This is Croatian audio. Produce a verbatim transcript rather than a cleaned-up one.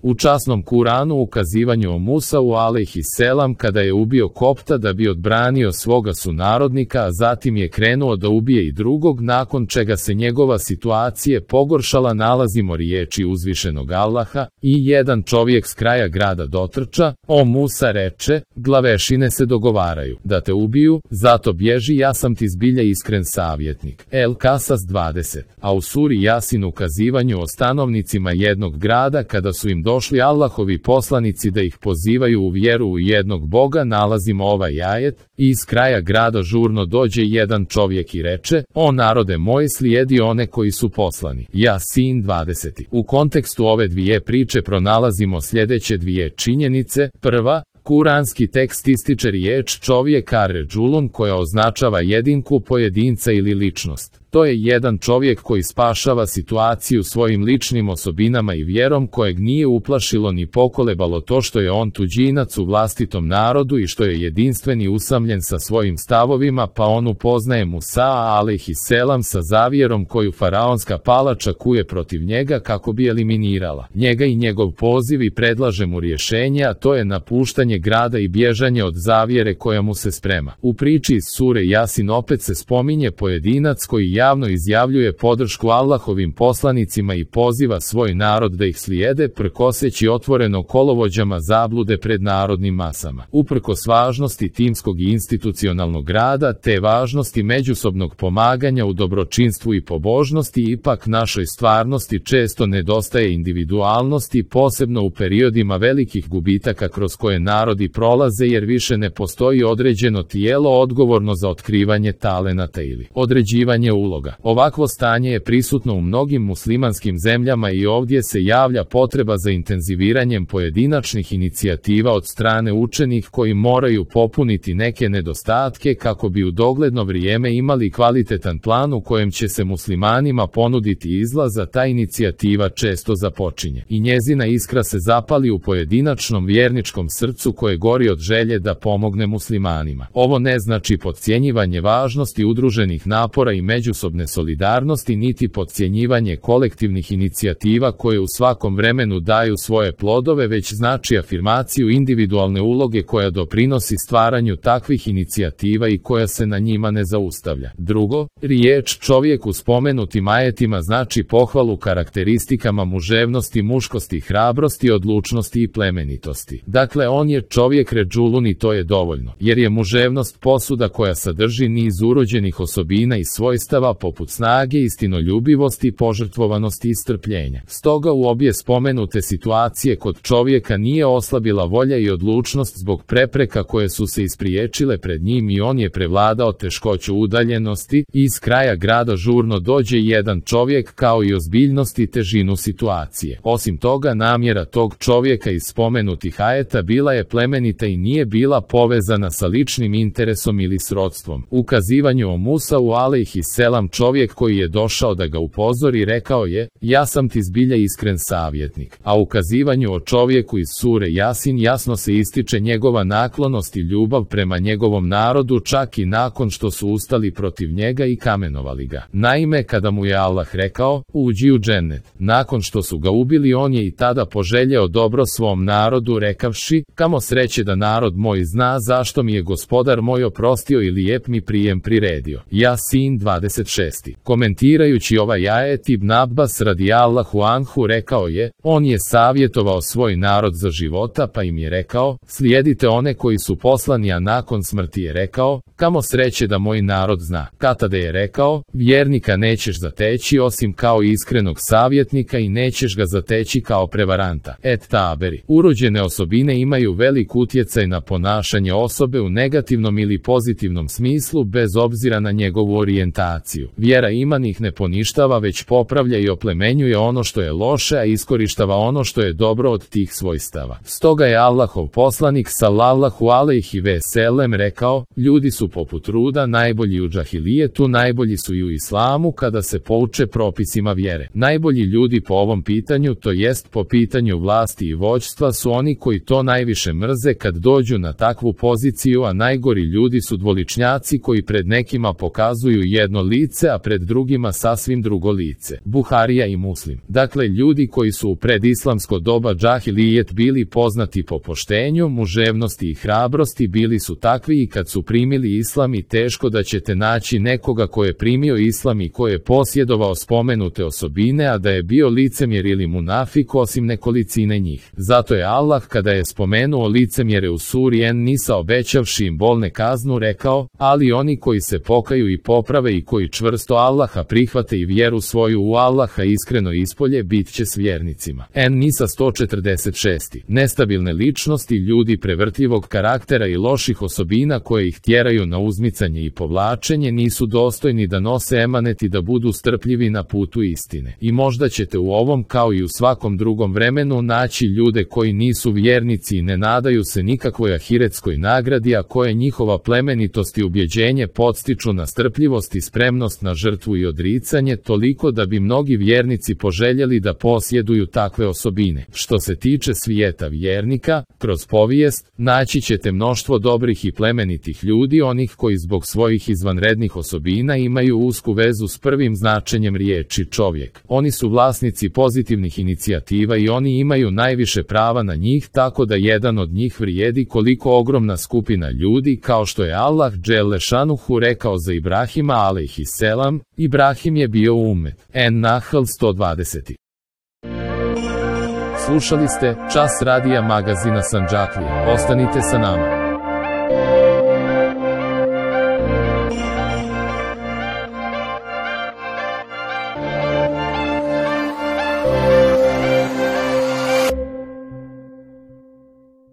U časnom Kuranu ukazivanju o Musau alejhi selam kada je ubio Kopta da bi odbranio svoga sunarodnika, a zatim je krenuo da ubije i drugog, nakon čega se njegova situacija pogoršala, nalazimo riječi uzvišenog Allaha: i jedan čovjek s kraja grada dotrča, o Musa reče, glavešine se dogovaraju da te ubiju, zato bježi, ja sam ti zbilja iskren savjetnik. El Kasas dvadeset. A u suri Jasin ukazivanju o stanovnicima jednog grada kada su im došli Allahovi poslanici da ih pozivaju u vjeru u jednog Boga, nalazimo ovaj ajet: i iz kraja grada žurno dođe jedan čovjek i reče, o narode moj, slijedi one koji su poslani. Jasin dvadeset. U kontekstu ove dvije priče pronalazimo sljedeće dvije činjenice. Prva, kuranski tekst ističe riječ čovjek ar-ređulun koja označava jedinku, pojedinca ili ličnost. To je jedan čovjek koji spašava situaciju svojim ličnim osobinama i vjerom, kojeg nije uplašilo ni pokolebalo to što je on tuđinac u vlastitom narodu i što je jedinstven i usamljen sa svojim stavovima, pa on upoznaje Musa alejhi selam sa zavjerom koju faraonska palača kuje protiv njega kako bi eliminirala njega i njegov poziv i predlaže mu rješenje, a to je napuštanje grada i bježanje od zavjere koja mu se sprema. U priči iz sure Jasin opet se spominje pojedinac koji javno izjavljuje podršku Allahovim poslanicima i poziva svoj narod da ih slijede, prkoseći otvoreno kolovođama zablude pred narodnim masama. Uprkos važnosti timskog i institucionalnog rada, te važnosti međusobnog pomaganja u dobročinstvu i pobožnosti, ipak našoj stvarnosti često nedostaje individualnosti, posebno u periodima velikih gubitaka kroz koje narodi prolaze, jer više ne postoji određeno tijelo odgovorno za otkrivanje talenata ili određivanje uloga. Ovakvo stanje je prisutno u mnogim muslimanskim zemljama i ovdje se javlja potreba za intenziviranjem pojedinačnih inicijativa od strane učenih koji moraju popuniti neke nedostatke kako bi u dogledno vrijeme imali kvalitetan plan u kojem će se muslimanima ponuditi izlaz, a ta inicijativa često započinje i njezina iskra se zapali u pojedinačnom vjerničkom srcu koje gori od želje da pomogne muslimanima. Ovo ne znači podcjenjivanje važnosti udruženih napora i međusobne solidarnosti, niti podcjenjivanje kolektivnih inicijativa koje u svakom vremenu daju svoje plodove, već znači afirmaciju individualne uloge koja doprinosi stvaranju takvih inicijativa i koja se na njima ne zaustavlja. Drugo, riječ čovjek u spomenutim ajetima znači pohvalu karakteristikama muževnosti, muškosti, hrabrosti, odlučnosti i plemenitosti. Dakle, on je čovjek ređulun i to je dovoljno, jer je muževnost posuda koja sadrži niz urođenih osobina i svojstava poput snage, istinoljubivosti, požrtvovanosti i strpljenja. Stoga u obje spomenute situacije kod čovjeka nije oslabila volja i odlučnost zbog prepreka koje su se ispriječile pred njim i on je prevladao teškoću udaljenosti i iz kraja grada žurno dođe jedan čovjek, kao i ozbiljnost i težinu situacije. Osim toga, namjera tog čovjeka iz spomenutih ajeta bila je plemenita i nije bila povezana sa ličnim interesom ili srodstvom. Ukazivanju o Musau alejhi selam čovjek koji je došao da ga upozori rekao je, ja sam ti zbilja iskren savjetnik. A ukazivanju o čovjeku iz sure Jasin jasno se ističe njegova naklonost i ljubav prema njegovom narodu, čak i nakon što su ustali protiv njega i kamenovali ga. Naime, kada mu je Allah rekao, uđi u džennet, nakon što su ga ubili, on je i tada poželjeo dobro svom narodu rekavši, kamo sreće da narod moj zna zašto mi je gospodar moj oprostio i lijep mi prijem priredio. Jasin dvadeset šest. Komentirajući ovaj ajet, Ibn Abbas radijallahu anhu rekao je, on je savjetovao svoj narod za života, pa im je rekao, slijedite one koji su poslani, a nakon smrti je rekao, kamo sreće da moj narod zna. Katada je rekao, vjernika nećeš zateći osim kao iskrenog savjetnika i nećeš ga zateći kao prevaranta. Et Taberi. Urođene osobine imaju velik utjecaj na ponašanje osobe u negativnom ili pozitivnom smislu bez obzira na njegovu orijentaciju. Vjera iman ih ne poništava, već popravlja i oplemenjuje ono što je loše, a iskorištava ono što je dobro od tih svojstava. Stoga je Allahov poslanik sallallahu alejhi ve sellem rekao, ljudi su poput ruda, najbolji u džahilijetu, najbolji su i u islamu kada se pouče propisima vjere. Najbolji ljudi po ovom pitanju, to jest po pitanju vlasti i vođstva, su oni koji to najviše mrze kad dođu na takvu poziciju, a najgori ljudi su dvoličnjaci koji pred nekima pokazuju jedno lice, lice, a pred drugima sasvim drugo lice. Buharija i Muslim. Dakle, ljudi koji su u predislamsko doba džahilijet bili poznati po poštenju, muževnosti i hrabrosti, bili su takvi i kad su primili islam, i teško da ćete naći nekoga ko je primio islam i ko je posjedovao spomenute osobine, a da je bio licemjer ili munafik, osim nekolicine njih. Zato je Allah, kada je spomenuo licemjere u suri En-Nisa, obećavši im bolne kaznu, rekao: ali oni koji se pokaju i poprave i koji čvrsto Allaha prihvate i vjeru svoju u Allaha iskreno ispolje, bit će s vjernicima. En-Nisa sto četrdeset šest. Nestabilne ličnosti, ljudi prevrtljivog karaktera i loših osobina koje ih tjeraju na uzmicanje i povlačenje, nisu dostojni da nose emanet i da budu strpljivi na putu istine. I možda ćete u ovom, kao i u svakom drugom vremenu, naći ljude koji nisu vjernici i ne nadaju se nikakvoj ahiretskoj nagradi, a koje njihova plemenitost i ubjeđenje podstiču na strpljivost i spremnost na žrtvu i odricanje, toliko da bi mnogi vjernici poželjeli da posjeduju takve osobine. Što se tiče svijeta vjernika, kroz povijest, naći ćete mnoštvo dobrih i plemenitih ljudi, onih koji zbog svojih izvanrednih osobina imaju usku vezu s prvim značenjem riječi čovjek. Oni su vlasnici pozitivnih inicijativa i oni imaju najviše prava na njih, tako da jedan od njih vrijedi koliko ogromna skupina ljudi, kao što je Allah dželle šanuhu rekao za Ibrahima alejhiselam: Ibrahim je bio umet. En-Nahl sto dvadeset. Slušali ste Čas radija magazina Sandžaklije. Ostanite sa nama.